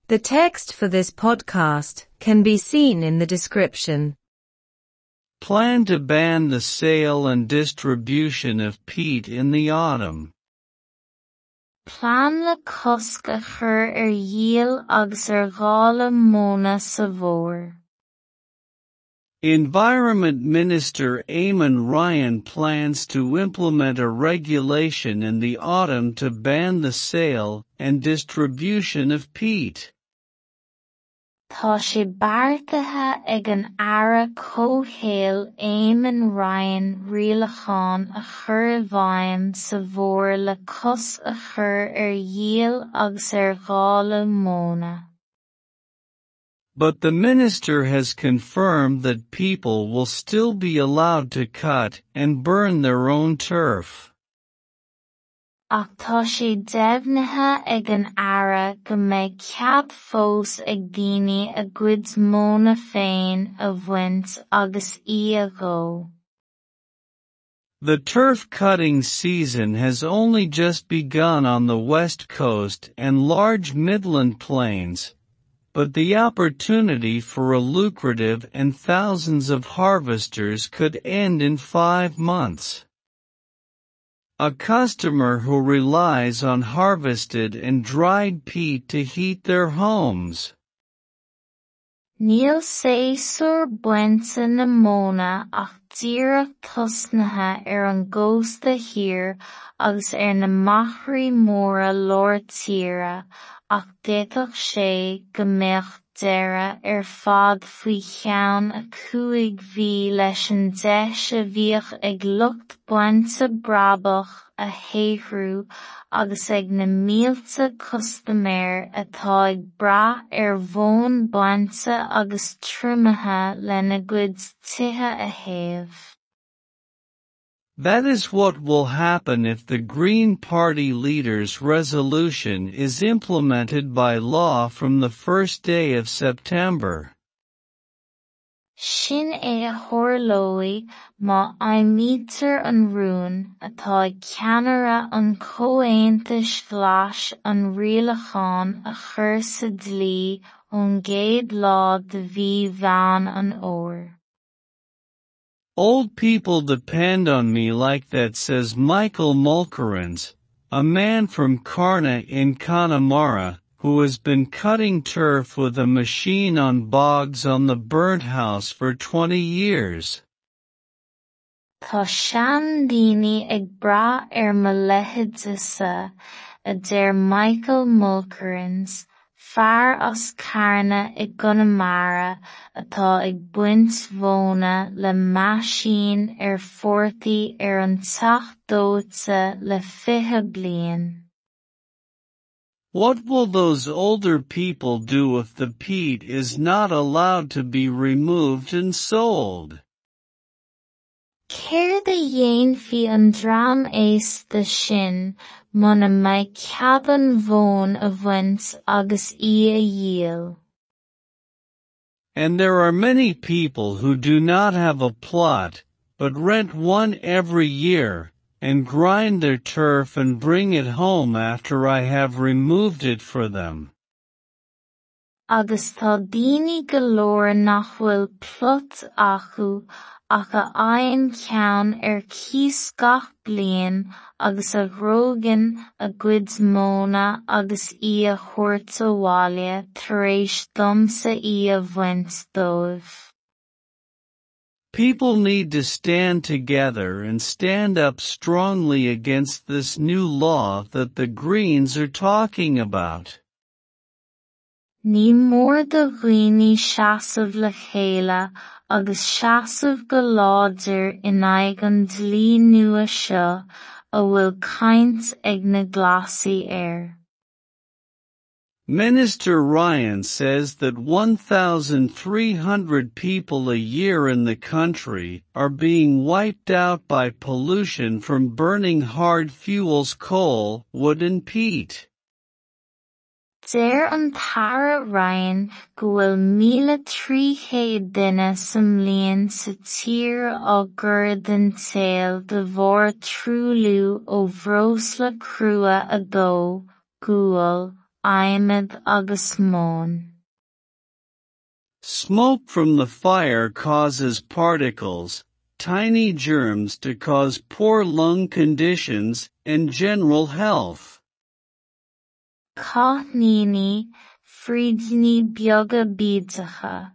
The text for this podcast can be seen in the description. Plan to ban the sale and distribution of peat in the autumn. Plean le cosc a chur ar dhíol agus ar dháileadh móna sa bhfómhar. Environment Minister Eamon Ryan plans to implement a regulation in the autumn to ban the sale and distribution of peat. Tá sé beartaithe ag an Aire Comhshaoil Eamon Ryan rialachán a chur i bhfeidhm sa bhfómhar le cosc a chur ar dhíol agus ar dháileadh móna. But the minister has confirmed that people will still be allowed to cut and burn their own turf. Ach tá sé deimhnithe ag an Aire go mbeidh cead fós ag daoine a gcuid móna féin a bhaint agus í a dhó. The turf cutting season has only just begun on the west coast and large midland plains, but the opportunity for a lucrative and thousands of harvesters could end in 5 months. A customer who relies on harvested and dried peat to heat their homes. Níl séasúr bainte na móna ach díreach tosnaithe ar an gcósta thiar agus ar na machairí móra lár tíre, ach d'fhéadfadh sé go mbeadh deireadh ar fad faoi cheann 5 mhí leis an deis a bhíodh ag lucht bainte brabach a shaothrú agus ag na mílte custaiméir atá ag brath ar mhóin bainte agus triomaithe lena gcuid tithe a théamh. That is what will happen if the Green Party leader's resolution is implemented by law from the first day of September. Sin é a tharlóidh má fheidhmítear an rún atá ag ceannaire an Chomhaontais Ghlais an rialachán a chur sa dlí ón gcéad lá de mhí Mheán an Fhómhair. Old people depend on me like that, says Michael Mulkerrins, a man from Carna in Connemara, who has been cutting turf with a machine on bogs on the burnt house for 20 years. Tá seandaoine ag brath ar mo leithéidese, a deir Michael Mulkerrins, fear as Carna i gConamara atá ag baint mhóna le meaisín ar phortaigh ar an teach dóite le 20 bliain. What will those older people do if the peat is not allowed to be removed and sold? Céard a dhéanfaidh an dream aosta sin mura mbeidh cead an mhóin a bhaint agus í a dhíol? And there are many people who do not have a plot, but rent one every year, and grind their turf and bring it home after I have removed it for them. Agus tá daoine go leor nach bhfuil plot acu ach a fhaigheann ceann ar cíos gach bliain agus a ghrógann a gcuid móna agus í a thabhairt abhaile tar éis domsa í a bhaint dóibh. People need to stand together and stand up strongly against this new law that the Greens are talking about. Ní mór do dhaoine seasamh le chéile agus seasamh go láidir in aghaidh an dlí nua seo a bhfuil caint ag na Glasaigh air. Minister Ryan says that 1,300 people a year in the country are being wiped out by pollution from burning hard fuels coal, wood and peat. Deir an tAire Ryan go bhfuil 1,300 duine sa mbliain sa tír á gcur den tsaol de bharr truailliú ó bhreosla crua a dó, gual, adhmad agus móin. Smoke from the fire causes particles, tiny germs to cause poor lung conditions and general health. Cáithníní, frídíní beaga bídeacha,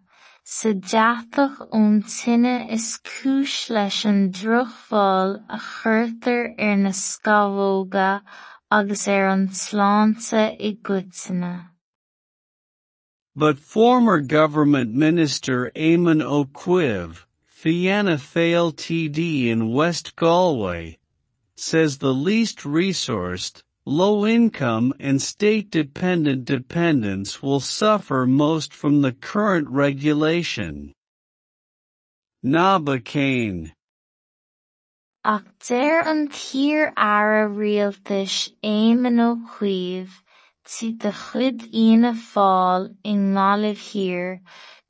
sa deatach ón tine is cúis leis an drochbhail a chuirtear ar na scamhóga agus ar an tsláinte i gcoitinne. But former government minister Eamon Ó Cuív, Fianna Fáil TD in West Galway, says the least resourced, low-income and state-dependent dependents will suffer most from the current regulation. Ná bac. Ach deir an t-iar-aire rialtais Éamon Ó Cuív, TD de chuid Fhianna Fáil i nGaillimh Thiar,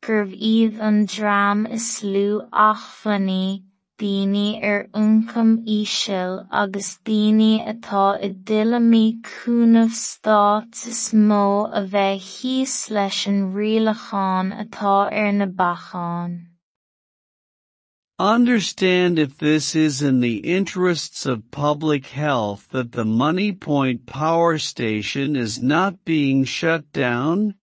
gurbh iad an dream is lú acmhainní, daoine ar ioncam íseal agus daoine atá i dtuilleamaí cúnamh stáit is mó a bheidh thíos leis an rialachán atá ar na bacáin. Understand if this is in the interests of public health that the Moneypoint power station is not being shut down?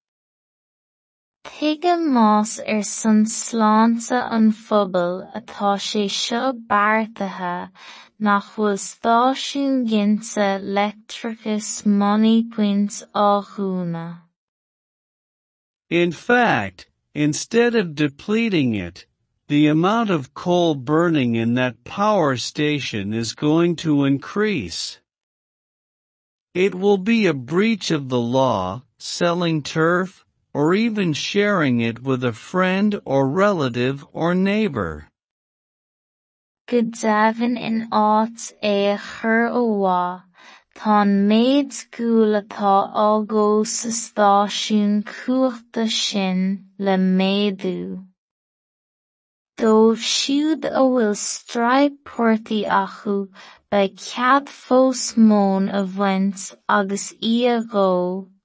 Tuige más ar son sláinte an phobail atá sé seo beartaithe nach bhfuil stáisiún ginte leictreachais Moneypoint á dhúnadh. In fact, instead of depleting it, the amount of coal burning in that power station is going to increase. It will be a breach of the law, selling turf, or even sharing it with a friend or relative or neighbor. Go deimhin in áit é a chur ó mhaith, tá an méid guail atá á dhó sa stáisiún cumhachta sin le méadú. Dóibh siúd a bhfuil straidhp portaigh acu beidh cead fós móin a bhaint agus í a dhó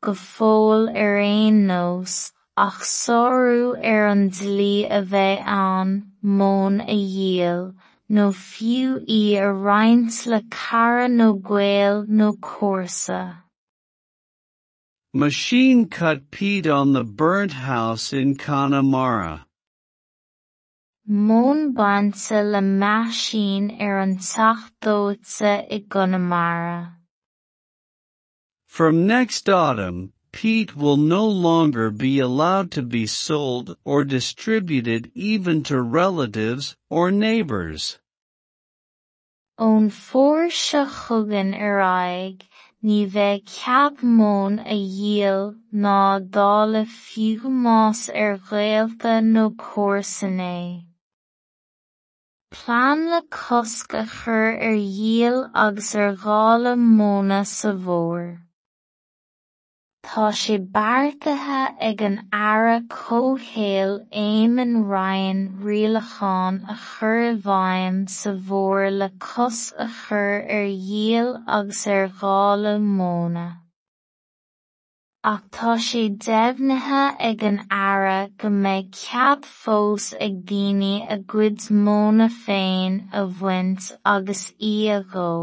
go fóill ar aon nós, ach sárú ar an dlí a bheidh ann móin a dhíol, nó fiú í a roinnt le cara nó gaol nó comharsa. Machine cut peat on the burnt house in Connemara. Móin bainte le meaisín ar an teach dóite i gConamara. From next autumn, peat will no longer be allowed to be sold or distributed even to relatives or neighbors. Ón bhfómhar seo chugainn ar aghaidh, ní bheidh cead móin a dhíol ná a dháileadh fiú más ar ghaolta nó comharsain é. Plean le cosc a chur ar dhíol agus ar dháileadh móna sa bhfómhar. Tá sé beartaithe ag an Aire Comhshaoil Eamon Ryan rialachán a chur i bhfeidhm sa bhfómhar le cosc a chur ar dhíol agus ar dháileadh móna. Ach tá sé deimhnithe ag an Aire go mbeidh cead fós ag daoine a gcuid móna féin a bhaint agus í a dhó.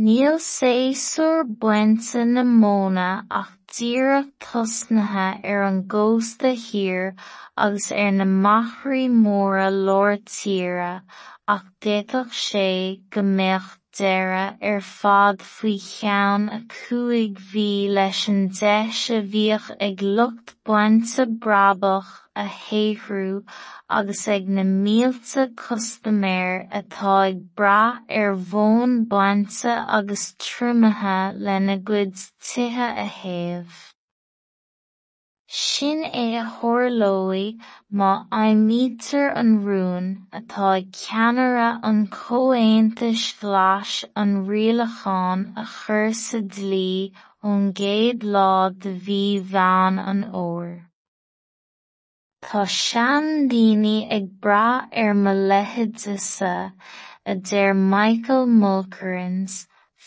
Níl séasúr bainte na móna ach díreach tosnaithe ar an gcósta thiar agus ar na machairí móra lár tíre ach d'fhéadfadh sé go mbeadh deireadh ar fad faoi cheann 5 mhí leis an deis a bhíodh ag lucht bainte brabach a shaothrú agus ag na mílte custaiméir atá ag brath ar mhóin bainte agus triomaithe lena gcuid tithe a théamh. Sin é a tharlóidh má fheidhmítear an rún atá ag ceannaire an Chomhaontais Ghlais an rialachán a chur sa dlí ón gcéad lá de mhí Mheán an Fhómhair. Tá seandaoine ag brath ar mo leithéidese, a deir Michael Mulkerrins,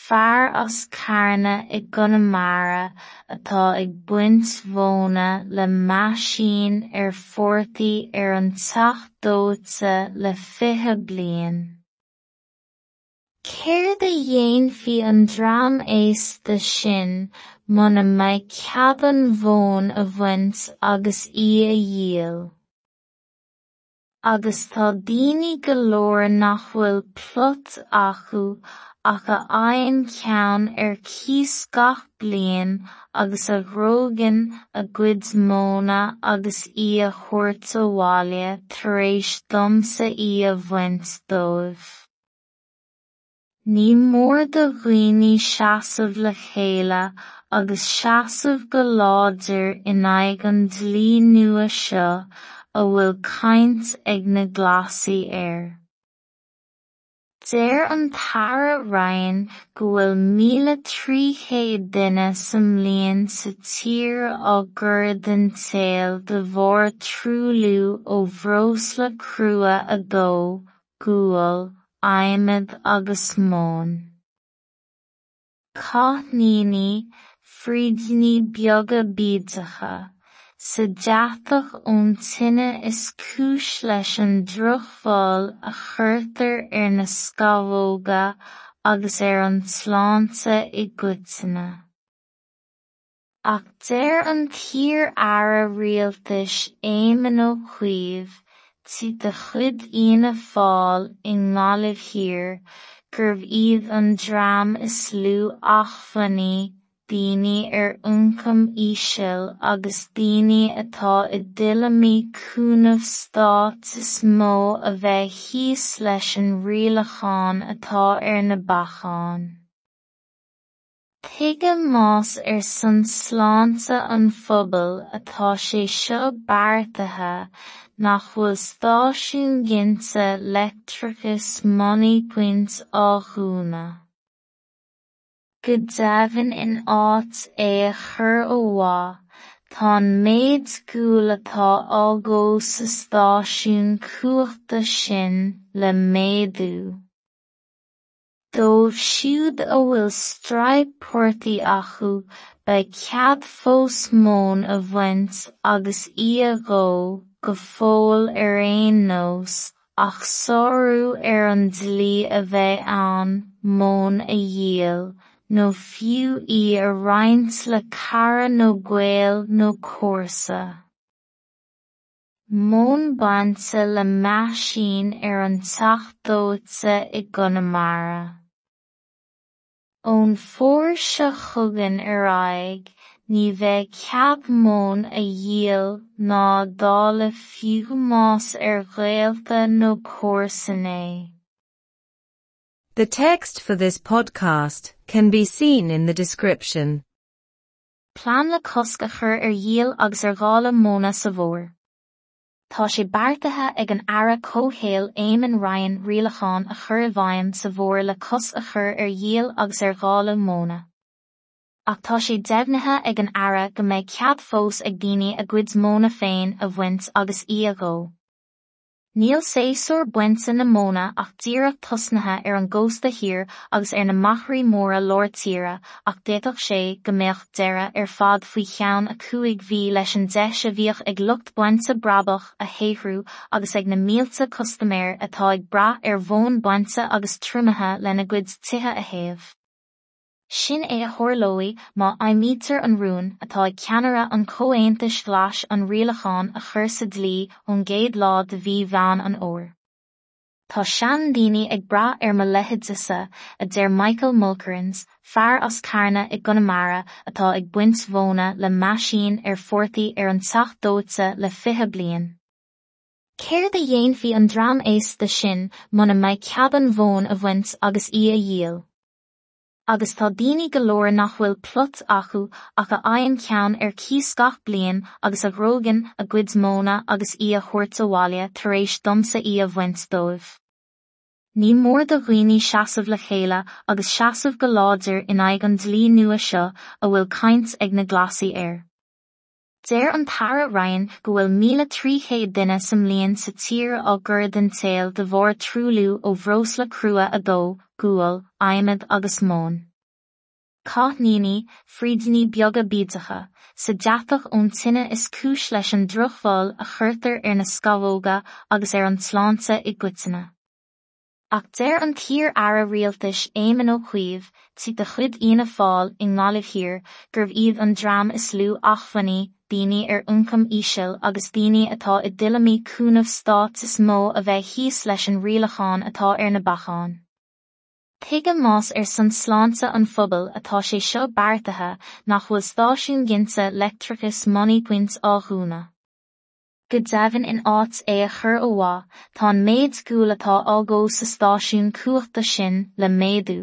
fear as Carna i gConamara atá ag baint mhóna le meaisín ar phortaigh ar an Teach Dóite le 20 bliain. Céard a dhéanfaidh an dream aosta sin muna mbeidh cead an mhóin a bhaint agus í a dhíol? Agus tá daoine go leor nach bhfuil plot acu ach a fhaigheann ceann ar cíos gach bliain agus a ghnóthaíonn a gcuid móna agus í a thabhairt abhaile tar éis domsa í a bhaint dóibh. Ní mór do dhaoine seasamh le chéile agus seasamh go láidir in aghaidh an dlí nua seo a bhfuil caint ag na Glasaigh air. Deir an tAire Ryan go bhfuil 1,300 duine sa mbliain sa tír á gcur den tsaol de bharr truailliú ó bhreosla crua a dó, gual, adhmad agus móin. Cáithníní, frídíní beaga bídeacha, sa deatach ón tine is cúis leis an drochbhail a chuirtear ar na scamhóga agus ar an tsláinte i gcoitinne. Ach deir an t-iar-aire rialtais Éamon Ó Cuív, tí de chuid Fhianna Fáil i nGaillimh Thiar, gurbh iad an dream is lú acmhainní, daoine ar ioncam íseal agus daoine atá i dtuilleamaí cúnamh stáit is mó a bheidh thíos leis an rialachán atá ar na bacáin. Tuige más ar son sláinte an phobail atá sé seo beartaithe nach bhfuil stáisiún ginte leictreachais Moneypoint á dhúnadh. Go deimhin in áit é a chur ó mhaith, tá an méid guail atá á dhó sa stáisiún cumhachta sin le méadú. Dóibh siúd a bhfuil straidhp portaigh acu beidh cead fós móin a bhaint agus í a dhó, go fóill ar aon nós, ach sárú ar an dlí a bheidh ann móin a dhíol, nó fiú í a roinnt le cara nó gaol nó comharsa. Móin bainte le meaisín ar an Teach Dóite i gConamara. Ón bhfómhar seo chugainn ar aghaidh, ní bheidh cead móin a dhíol ná a dháileadh fiú más ar ghaolta nó comharsan é. The text for this podcast can be seen in the description. Plean le cosc a chur ar dhíol agus ar dháileadh móna sa bhfómhar. Tá sé beartaithe ag an Aire Comhshaoil Eamon Ryan rialachán a chur i bhfeidhm sa bhfómhar le cosc a chur ar dhíol agus ar dháileadh móna. Ach tá sé deimhnithe ag an Aire go mbeidh cead fós ag daoine a gcuid móna féin a bhaint agus í a dhó. Níl séasúr bainte na móna ach díreach tosnaithe ar an gcósta thiar agus ar na machairí móra lár tíre ach d'fhéadfadh sé go mbeadh deireadh ar fad faoi cheann 5 mhí leis an deis a bhíodh ag lucht bainte brabach a shaothrú agus ag na mílte custaiméir atá ag brath ar mhóin bainte agus triomaithe lena gcuid tithe a théamh. Sin é a tharlóidh má fheidhmítear an rún atá ag ceannaire an Chomhaontais Ghlais an rialachán a chur sa dlí ón gcéad lá de mhí Mheán an Fhómhair. Tá seandaoine ag brath ar mo leithéidese, a deir Michael Mulkerrins, fear as Carna i gConamara atá ag baint mhóna le meaisín ar phortaigh ar an Teach Dóite le 20 bliain. Céard a dhéanfaidh an dream aosta sin muna mbeidh cead an mhóin a bhaint agus í a dhíol? Agus tá daoine go leor nach bhfuil plot acu ach a fhaigheann ceann ar cíos gach bliain agus a ghnóthaíonn a gcuid móna agus í a thabhairt abhaile tar éis domsa í a bhaint dóibh. Ní mór do dhaoine seasamh le chéile agus seasamh go láidir in aghaidh an dlí nua seo a bhfuil caint ag na Glasaigh air. Deir an tAire Ryan go bhfuil 1,300 duine sa mbliain sa tír á gcur den tsaol de bharr truailliú ó bhreosla crua a dó, gual, adhmad agus móin. Cáithníní, frídíní beaga bídeacha, sa deatach ón tine is cúis leis an drochbhail a chuirtear ar na scamhóga agus ar an tsláinte i gcoitinne. Ach deir an t-iar-aire rialtais Éamon Ó Cuív, TD de chuid Fhianna Fáil i nGaillimh Thiar, gurbh iad an dream is lú acmhainní, daoine ar ioncam íseal agus daoine atá i dtuilleamaí cúnamh stáit is mó a bheidh thíos leis an rialachán atá ar na bacáin. Tuige más ar son sláinte an phobail atá sé seo beartaithe nach bhfuil stáisiún ginte leictreachais Moneypoint á dhúnadh? Go deimhin in áit é a chur ó mhaith, tá an méid guail atá á dhó sa stáisiún cumhachta sin le méadú.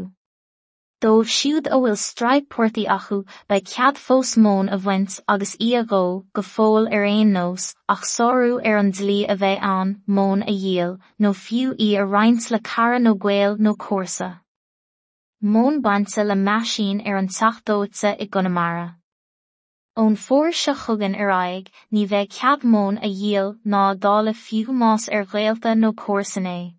Dóibh siúd a bhfuil straidhp portaigh acu beidh cead fós móin a bhaint agus í a dhó, go fóill ar aon nós, ach sárú ar an dlí a bheidh ann móin a dhíol, nó fiú í a roinnt le cara nó gaol nó comharsa. Móin bainte le meaisín ar an Teach Dóite i gConamara. Ón bhfómhar seo chugainn ar aghaidh, ní bheidh cead móin a dhíol ná a dháileadh fiú más ar ghaolta nó comharsain é.